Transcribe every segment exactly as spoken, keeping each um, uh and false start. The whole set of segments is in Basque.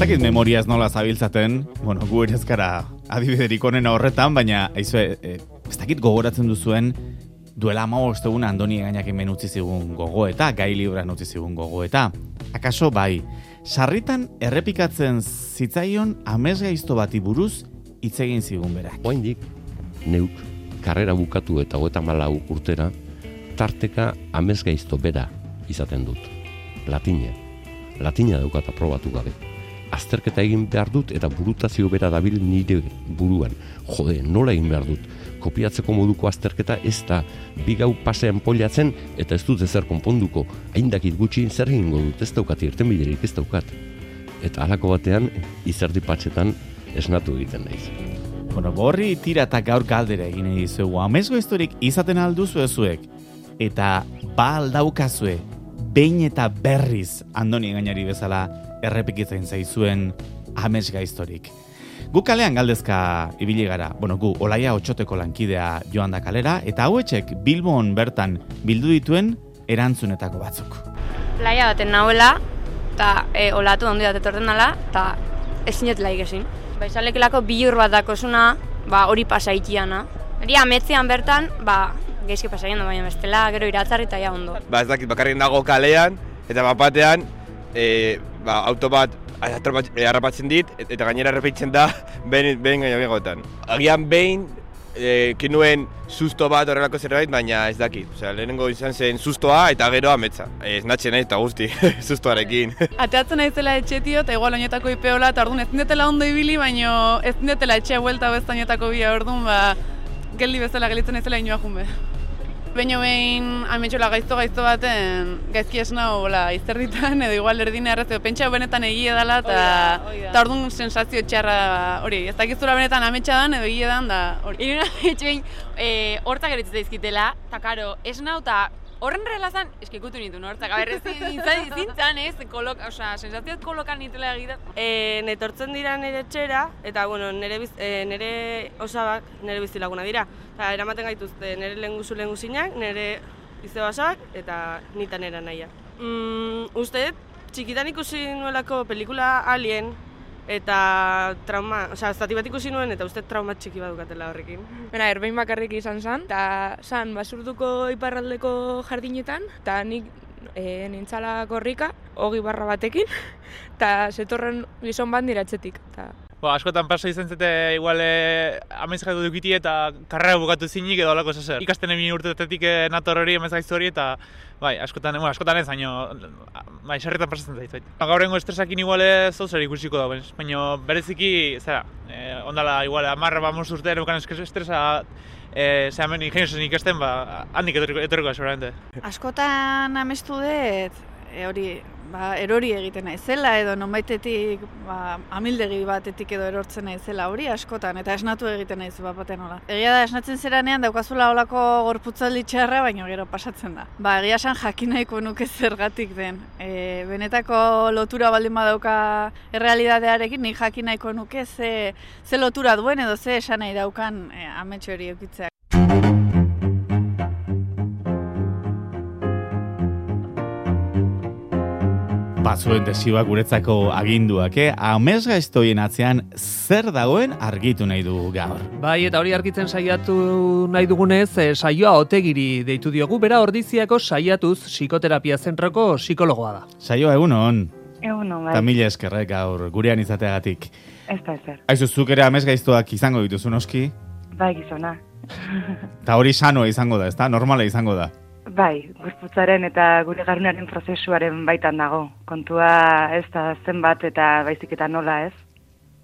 dakit memoriaz nola zabiltzaten, bueno, gu ere ezkara adibiderik onena horretan, baina aizue, e, ez dakit gogoratzen duzuen, duela hamabost egun Andoni Egainak hemen utzi zigun gogoeta, gai libran utzi zigun gogoeta. Akaso bai, sarritan errepikatzen zitzaion amesgaizto bati buruz hitz egin zigun berak. Oraindik neuk karrera bukatu eta hogeita hamalau urtera tarteka amesgaizto bera izaten dut. Latina. Latina daukat aprobatu gabe. Azterketa egin behar dut eta burutazio bera dabil nire buruan. Jode, nola egin behar dut? Kopiatzeko moduko azterketa ez da bi gau pasean poliatzen eta ez dut ezer konponduko. Haindakit gutxi zer egingo dut, ez daukat irtenbiderik, ez daukat. Eta halako batean izerdi patxetan esnatu egiten naiz. Bueno, gorri tira eta gaur galdera egin dizuegu. Amesgaiztorik izaten alduzu ezuek eta ba aldaukazue behin eta berriz Andoni Egainari bezala errepikitzen zaizuen amesgaiztorik. Gu kalean galdezka ibili gara, bueno, gu Olaia Otxoteko lankidea joan da kalera, eta hauetxek Bilbon bertan bildu dituen erantzunetako batzuk. Playa baten nahuela, eta e, olatu ondi bat etorten dela, eta ezin jetela ikesin. Ba, izalekelako bilur bat dakosuna, ba, hori pasaitiana. Hori ametzean bertan, ba, geizki pasaien da, baina bestela, gero iratzarri eta ja ondo. Ba, ez dakit, bakarrik dago kalean, eta bapatean, e, ba, auto bat harrapatzen dit, eta gainera errepitzen da behin gainagoetan. Agian behin, e, kinuen susto bat horrelako zerbait, baina ez dakit. Osea, lehenengo izan zen sustoa eta gero ametsa. Ez natxe nahi eta guzti, sustoarekin. Ateatzen naizela etxetio, eta igual oinetako ipeola, eta orduan ez dindetela ondo ibili, baina ez dindetela etxea buelta bezta oinetako bia orduan, ba, geldi bezala gelitzen naizela inoa junbe. Beino behin ametxola gaizto-gaizto baten gaizki esnau bola izterditan edo igual erdine errezio pentsa benetan egia dela eta orduan sensazio txarra hori, ez dakizura benetan ametxa dan edo egia dan da hori. Iruna ametxo behin hortak eritzen daizkitela, eta karo, esnau eta horren relazan, eskikutu nintu hortzak, aberrez zintzan ez, kolok, oza, sensazioz kolokan nitela egitea. E, netortzen dira nire etxera, eta bueno, nire, biz, e, nire osabak nire bizilaguna dira. Eta eramaten gaituzte nire lehenguzu lehenguzinak, nire izebasak eta nita nera naia. Mm, uste, txikitan ikusi nuelako pelikula Alien, eta trauma, osea, zati bat ikusi nuen eta uste trauma txiki bat dukatela horrekin. Bera, erbein bakarrik izan zen, eta zan basurduko iparraldeko jardinetan, eta nik e, nintzala korrika, hogi barra batekin, eta zetorren gizon bat nire atzetik. Ta... Bo, askotan pasa izan zete, igual, e, amezgaitu dukiti eta karrera bukatu zinik edo alako zezer. Ikasten egin urtetetik nator hori amezgaiztu hori eta bai, askotan, bueno, askotan ez, baina bai, sarritan pasatzen zait. Gaurrengo estresakin igual ez zer ikusiko da, baina bereziki, zera, e, ondala igual, amarra bamos urtean eukan estresa e, zehamen ingeniosen ikasten, ba, handik etorriko da, seguramente. Askotan amestu dut, e, hori, ba, erori egiten naizela edo nonbaitetik ba, amildegi batetik edo erortzen naizela hori askotan eta esnatu egiten naiz bat baten hola. Egia da esnatzen zeranean daukazula holako gorputzaldi txarra, baina gero pasatzen da. Ba, egia esan jakin nahiko nuke zergatik den. E, benetako lotura baldin badauka errealitatearekin, nik jakin nahiko nuke ze, ze lotura duen edo ze esan nahi daukan e, ametxo hori eukitzeak. Bazuen desioak guretzako aginduak, eh? Amesgaiztoien atzean zer dagoen argitu nahi dugu gaur. Bai, eta hori argitzen saiatu nahi dugunez, eh, saioa Otegiri deitu diogu, bera Ordiziako Saiatuz psikoterapia zentroko psikologoa da. Saioa egunon. Egunon, bai. Ta mila eskerrek gaur gurean izateagatik. Ez da ezer. Aizu, zuk ere amesgaiztoak izango dituzu noski? Bai, gizona. Ta hori sanoa izango da, ezta? Normala izango da. Bai, gorputzaren eta gure garunaren prozesuaren baitan dago. Kontua ez da zenbat eta baizik eta nola ez.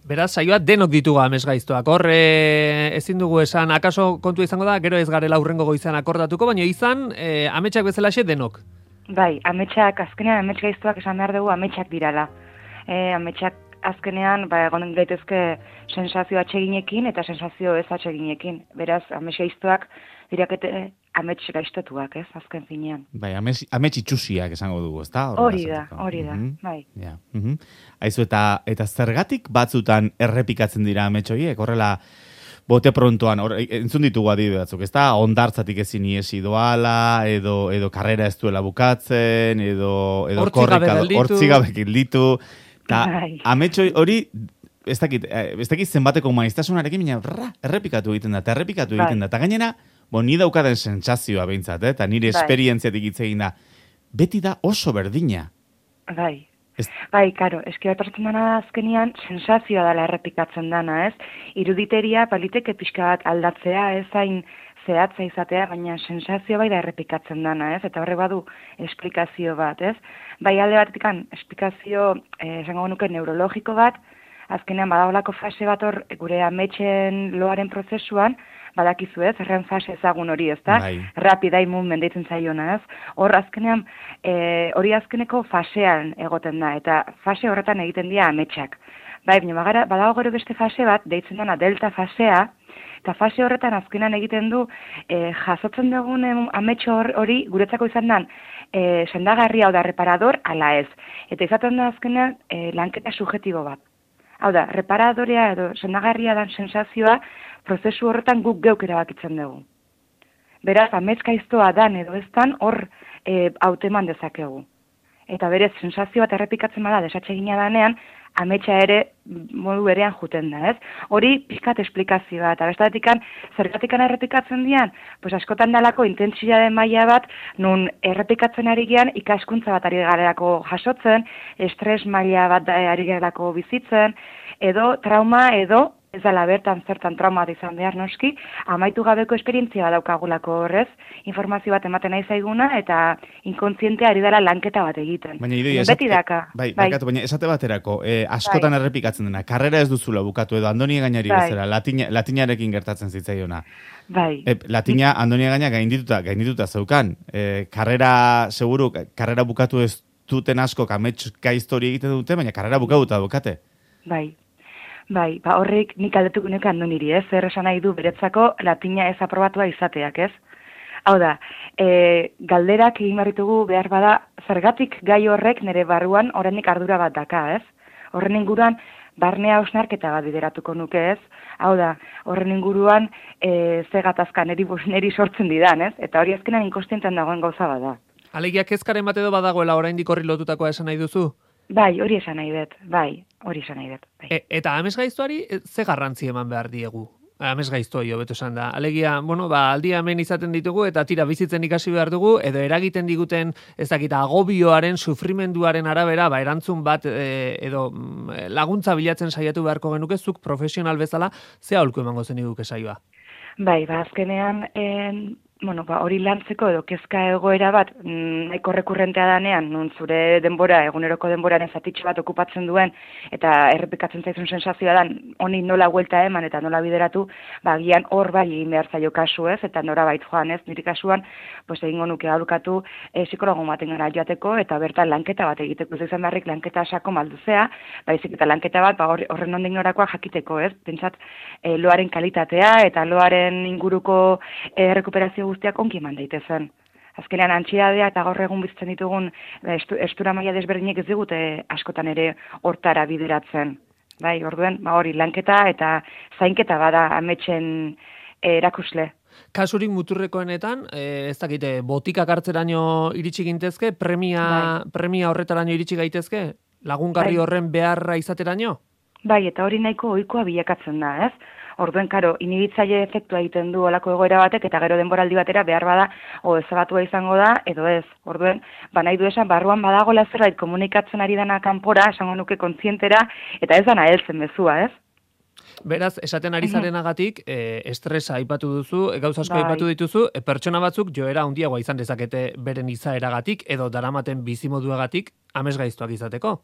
Beraz, saioa denok ditugu amesgaiztoak. Hor, e, ezin dugu esan, akaso kontua izango da, gero ez garela aurrengo goizan akordatuko, baina izan, e, ametsak bezalaxe denok. Bai, ametsak, azkenean ametsgaiztoak esan behar dugu ametsak dirala. E, ametsak azkenean, ba, egon daitezke sensazio atseginekin eta sensazio ez atseginekin. Beraz, ametsgaiztoak dirakete amets gaiztotuak, ez, azken finean. Bai, amets, amets itxusiak esango dugu, ezta? Hori da, hori da, mm-hmm. Bai. Ja. Mm-hmm. Aizu, eta, eta zergatik batzutan errepikatzen dira amets horiek, horrela, bote prontoan, or, entzun ditugu adibide batzuk, ezta? Ondartzatik ezin iesi doala, edo, edo karrera ez duela bukatzen, edo, edo korrika, hortzigabekin ditu. Ta Bai. ametxo hori, ez dakit, eh, ez dakit zenbateko maiztasunarekin, baina rra, errepikatu egiten da, eta errepikatu Bai. egiten da. Eta gainera, bo, ni daukaden sentsazioa behintzat, eh? Eta nire Bai. esperientziatik hitz egin da. Beti da oso berdina. Bai. Ez- Bai, karo, eski bat pasatzen dana azkenian sensazioa dela errepikatzen dana, ez? Iruditeria baliteke pixka bat aldatzea, ez hain zehatza izatea, baina sensazio bai da errepikatzen dana, ez? Eta horre badu esplikazio bat, ez? Bai alde batetik esplikazio, eh, esango nuke neurologiko bat, azkenean badaolako fase bat hor gure ametxen loaren prozesuan, badakizu ez, erren fase ezagun hori, ez da? Bai. Rapid eye movement deitzen zaiona, ez? Hor azkenean, e, hori azkeneko fasean egoten da, eta fase horretan egiten dira ametsak. Bai, baina bagara, badago gero beste fase bat, deitzen dena delta fasea, eta fase horretan azkenean egiten du, e, jasotzen dugun em, ametxo hor- hori guretzako izan den, e, sendagarria hau da reparador, ala ez. Eta izaten da azkenean e, lanketa subjetibo bat. Hau da, reparadorea edo sendagarria dan sensazioa prozesu horretan guk geuk erabakitzen dugu. Beraz, amezkaiztoa dan edo ez dan hor e, hauteman dezakegu. Eta berez, sensazio bat errepikatzen bada desatsegina danean, ametsa ere modu berean juten da, ez? Hori pixkat esplikazioa, eta bestatikan, zergatikan errepikatzen dian, pues askotan dalako intentsitate maila bat, nun errepikatzen ari gean ikaskuntza bat ari garelako jasotzen, estres maila bat da- ari garelako bizitzen, edo trauma, edo ez dela bertan zertan trauma bat izan behar noski, amaitu gabeko esperientzia bat daukagulako horrez, informazio bat ematen nahi zaiguna, eta inkontzientea ari dela lanketa bat egiten. Baina idoia, Beti daka. Bai, barkatu, baina esate baterako, eh, askotan Bai. errepikatzen dena, karrera ez duzula bukatu edo Andoni Gainari Bai. bezala, latina, latinarekin gertatzen zitzaiona. Bai. E, latina Andoni Gaina gaindituta, gaindituta zeukan. E, karrera, seguru, karrera bukatu ez duten asko kametska histori egiten dute, baina karrera bukatuta bukate. Bai. Bai, ba horrek nik aldetuko nuke Andoniri, ez? Zer esan nahi du beretzako latina ez aprobatua izateak, ez? Hau da, e, galderak egin barritugu behar bada, zergatik gai horrek nire barruan oraindik ardura bat daka, ez? Horren inguruan, barnea hausnarketa bat bideratuko nuke, ez? Hau da, horren inguruan, e, ze gatazka neri, neri sortzen didan, ez? Eta hori azkenan inkostientan dagoen gauza bada. Alegia kezkaren bat edo badagoela oraindik horri lotutakoa esan nahi duzu? Bai, hori esan nahi dut, bai, hori esan nahi dut. Bai. E, eta amesgaiztoari e, ze garrantzi eman behar diegu? Amesgaiztoi hobeto esan da. Alegia, bueno, ba, aldia hemen izaten ditugu eta tira bizitzen ikasi behar dugu, edo eragiten diguten, ez dakit, agobioaren, sufrimenduaren arabera, ba, erantzun bat e, edo mm, laguntza bilatzen saiatu beharko genuke, zuk profesional bezala, ze aholku emango zen iguke saioa? Bai, ba, azkenean, en, bueno, ba, hori lantzeko edo kezka egoera bat, mm, nahiko rekurrentea danean, nun zure denbora, eguneroko denboraren zatitxe bat okupatzen duen, eta errepikatzen zaizun sensazioa dan, honi nola huelta eman eta nola bideratu, ba, gian hor bai egin behar zaio kasu ez, eta nora bait joan ez, niri kasuan, pues egingo nuke aholkatu e, psikologo baten gara joateko, eta bertan lanketa bat egiteko, ez izan beharrik lanketa sako malduzea, baizik eta lanketa bat, ba, horren ondik norakoa jakiteko ez, pentsat, e, loaren kalitatea, eta loaren inguruko e, rekuperazio guztiak onki eman daitezen. Azkenean antxiadea eta gaur egun bizitzen ditugun estu, estura maila desberdinek ez digute askotan ere hortara bideratzen. Bai, orduen, ba hori lanketa eta zainketa bada ametsen erakusle. Kasurik muturrekoenetan, e, ez dakite, botikak hartzeraino iritsi gintezke, premia, Bai. premia horretaraino iritsi gaitezke, lagungarri Bai. horren beharra izateraino? Bai, eta hori nahiko ohikoa bilakatzen da, ez? Orduen, karo, inhibitzaile efektua egiten du olako egoera batek, eta gero denboraldi batera behar bada, o ezabatua izango da, edo ez. Orduen, ba nahi du esan, barruan badagoela zerbait komunikatzen ari dana kanpora, esango nuke kontzientera, eta ez dana heltzen mezua, ez? Beraz, esaten ari zarenagatik, e, estresa aipatu duzu, e, gauza asko Bai. aipatu dituzu, e, pertsona batzuk joera handiagoa izan dezakete beren izaeragatik edo daramaten bizimoduagatik amesgaiztoak izateko.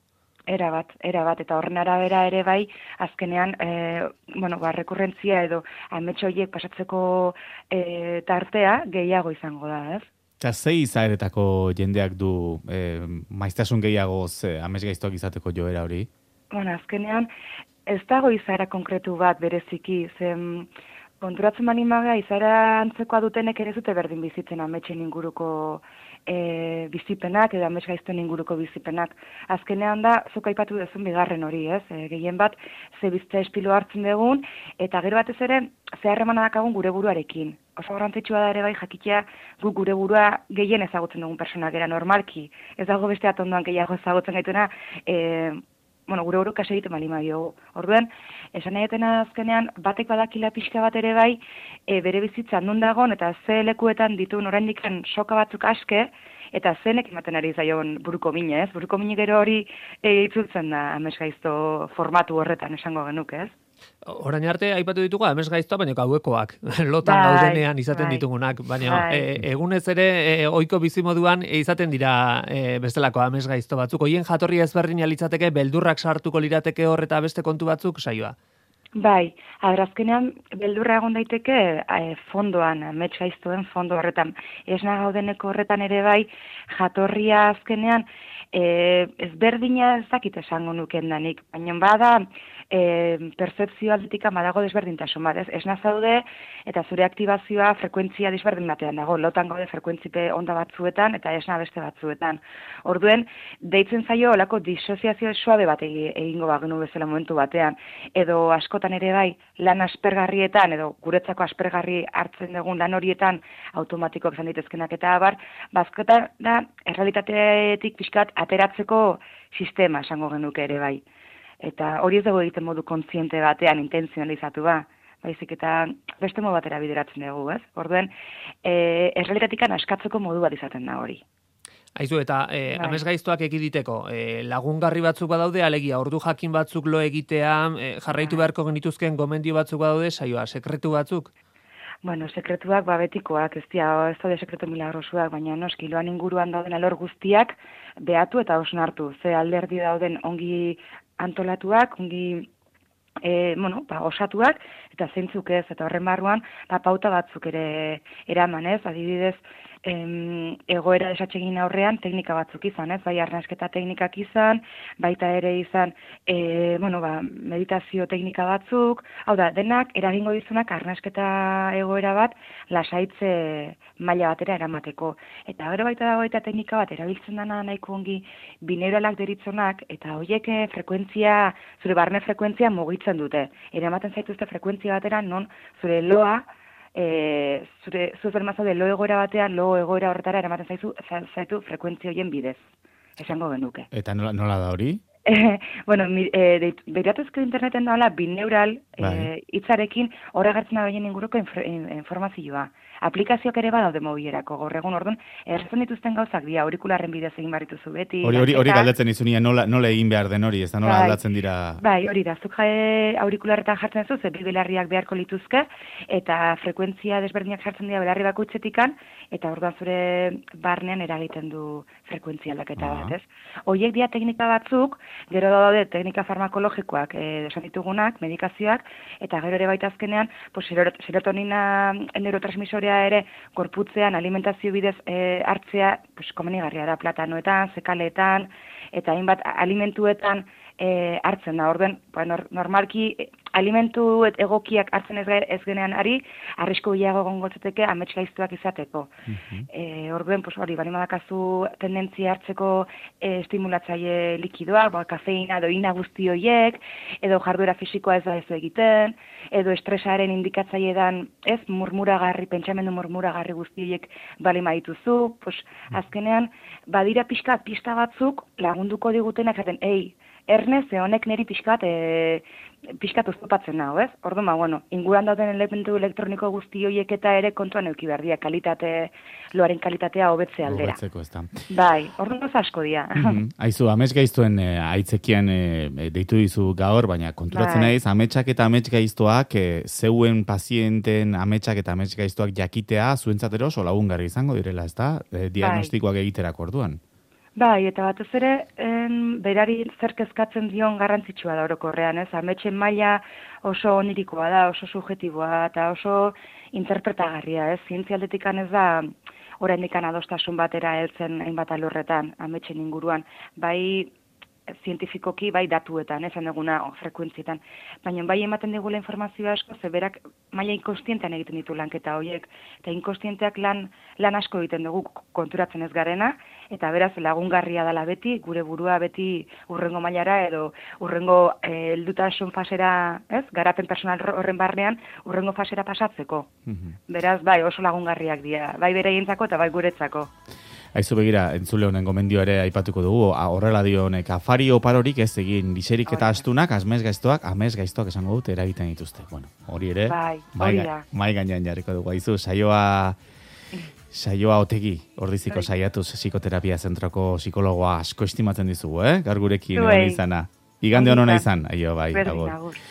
Era bat, era bat, eta horren arabera ere bai, azkenean, e, bueno, ba, rekurrentzia edo ametxo horiek pasatzeko e, tartea gehiago izango da, ez? Eta ze izaeretako jendeak du eh, maiztasun gehiagoz eh, amesgaiztoak izateko joera hori? Bueno, azkenean, ez dago izaera konkretu bat bereziki, zen konturatzen manimaga izaera antzekoa dutenek ere zute berdin bizitzen ametxen inguruko e, bizipenak edo amesgaizten inguruko bizipenak. Azkenean da, zuk aipatu duzun bigarren hori, ez? E, gehien bat, ze bizitza espilo hartzen dugun, eta gero batez ere, ze harremana dakagun gure buruarekin. Oso garrantzitsua da ere bai jakitea guk gure burua gehien ezagutzen dugun personak era normalki. Ez dago beste atondoan gehiago ezagutzen gaituena, e, bueno, gure buruka segiten bali maio. Orduan, esan nahi azkenean, batek badakila pixka bat ere bai, e, bere bizitzan non dagon, eta ze lekuetan dituen oraindikan soka batzuk aske, eta zenek ematen ari zaion buruko mine, ez? Buruko mine gero hori e, itzultzen da amesgaizto formatu horretan esango genuke, ez? Orain arte aipatu ditugu amesgaiztoa, baina gauekoak, lotan bai, gaudenean izaten bai, ditugunak, baina bai. e, egunez ere e, ohiko bizimoduan e, izaten dira e, bestelako amesgaizto batzuk. Hoien jatorria ezberdina litzateke, beldurrak sartuko lirateke hor eta beste kontu batzuk saioa. Bai, azkenean beldurra egon daiteke e, fondoan, amets gaiztoen fondo horretan. Esna gaudeneko horretan ere bai, jatorria azkenean e, ezberdina ez dakit esango nuken danik, baina bada e, percepzio aldetik badago desberdintasun bat, ez? Esna zaude eta zure aktibazioa frekuentzia desberdin batean dago, lotan gaude frekuentzipe onda batzuetan eta esna beste batzuetan. Orduen, deitzen zaio olako disoziazio suabe bat egingo bagenu bezala momentu batean, edo askotan ere bai, lan aspergarrietan, edo guretzako aspergarri hartzen dugun lan horietan automatikoak izan ditezkenak eta abar, bazkotan da, errealitateetik pixkat ateratzeko sistema esango genuke ere bai. Eta hori ez dugu egiten modu kontziente batean, intenzionalizatu ba, baizik eta beste modu batera bideratzen dugu, ez? Orduen, e, errealitatikan askatzeko modu bat izaten da hori. Aizu, eta e, bai. Amesgaiztoak ekiditeko, e, lagungarri batzuk badaude, alegia, ordu jakin batzuk lo egitea, e, jarraitu beharko genituzken gomendio batzuk badaude, saioa, sekretu batzuk? Bueno, sekretuak ba betikoak, ez dira, ez daude sekretu milagrosuak, baina noski, loan inguruan dauden alor guztiak behatu eta osnartu. Ze alderdi dauden ongi antolatuak, ongi e, bueno, ba, osatuak, eta zeintzuk ez, eta horren barruan, ba, pauta batzuk ere eraman, ez, adibidez, em, egoera desatsegin aurrean teknika batzuk izan, ez, bai arnasketa teknikak izan, baita ere izan, e, bueno, ba, meditazio teknika batzuk, hau da, denak eragingo dizunak arnasketa egoera bat lasaitze maila batera eramateko. Eta gero baita dago eta teknika bat erabiltzen dana nahiko ongi bineuralak deritzonak, eta horiek frekuentzia, zure barne frekuentzia mugitzen dute. Eramaten zaituzte frekuentzia batera non zure loa, E, zure zuzen mazaude lo egoera batean, lo egoera horretara eramaten zaizu, zaitu frekuentzia horien bidez, esango genuke. Eta nola, nola da hori? E, bueno, e, behiratuzko interneten daola bineural e, hitzarekin horre gertzen da behien inguruko inf informazioa. Aplikazioak ere badaude mobilerako, gaur egun orduan, erretzen dituzten gauzak dira, aurikularren bidez egin barrituzu beti. Hori hori hori galdetzen izunia nola, nola egin behar den hori, ez da nola bai, aldatzen dira... Bai, hori da, zuk jae aurikularretan jartzen zu, ze bi belarriak beharko lituzke, eta frekuentzia desberdinak jartzen dira belarri bakoitzetikan, eta orduan zure barnean eragiten du frekuentzia aldaketa bat, ez? Horiek dira teknika batzuk, gero daude teknika farmakologikoak eh, esan ditugunak, medikazioak, eta gero ere baita azkenean, pues, serotonina neurotransmisorea ere gorputzean alimentazio bidez e, hartzea pues, komenigarria da platanoetan, zekaletan, eta hainbat alimentuetan e, hartzen da. Orden, ba, nor, normalki alimentu egokiak hartzen ez, ez genean ari, arrisko bilago gongotzateke amets gaiztuak izateko. Uh-huh. e, Orden, pues, hori, bali madakazu tendentzia hartzeko e, estimulatzaile likidoak, ba, kafeina, doina guzti horiek, edo jarduera fisikoa ez da ez egiten, edo estresaren indikatzaile dan, ez, murmuragarri, pentsamendu murmuragarri guzti horiek bali madituzu, pues, azkenean, badira pixka, pista batzuk lagunduko digutenak zaten, ei, erne, ze honek niri pixkat, e, pixkat oztopatzen nago, ez? Orduan, ba, bueno, inguran dauden elementu elektroniko guzti horiek eta ere kontuan euki behar dira, kalitate, loaren kalitatea hobetze aldera. Hobetzeko, ez da. Bai, orduan oso asko dira. Mm-hmm. Aizu, amets gaiztuen e, aitzekien e, deitu dizu gaur, baina konturatzen bai. naiz, ametsak eta amets gaiztoak, e, zeuen pazienten ametsak eta amets gaiztoak jakitea, zuentzatero oso lagungarri izango direla, ez da? E, diagnostikoak bai. egiterako orduan. Bai, eta batez ere, en, berari zer kezkatzen dion garrantzitsua da orokorrean, ez? Ametsen maila oso onirikoa da, oso subjetiboa eta oso interpretagarria, ez? Zientzialdetikan ez da oraindik adostasun batera heltzen hainbat alorretan, ametsen inguruan. Bai, zientifikoki bai datuetan, esan duguna o, frekuentzietan. Baina bai ematen digula informazioa asko, ze berak maila inkostientean egiten ditu lanketa horiek. Eta inkostienteak lan, lan asko egiten dugu konturatzen ez garena, eta beraz lagungarria dela beti, gure burua beti urrengo mailara edo urrengo eh, heldutasun fasera, ez? Garapen personal horren barnean urrengo fasera pasatzeko. Mm-hmm. Beraz, bai, oso lagungarriak dira, bai beraientzako eta bai guretzako. Aizu begira, entzule honen gomendio ere aipatuko dugu, a, horrela dio honek, afari oparorik ez egin, liserik eta astunak, amez gaiztoak, amez gaiztoak esango dut eragiten dituzte. Bueno, hori ere, Bai, mai, hori da. mai gainean jarriko dugu. Aizu, saioa, saioa otegi, ordiziko saiatuz psikoterapia zentroko psikologoa asko estimatzen dizugu, eh? Gaur gurekin Zuei. egon izana. Igande honona izan, aio, bai, Berdin, agur. agur.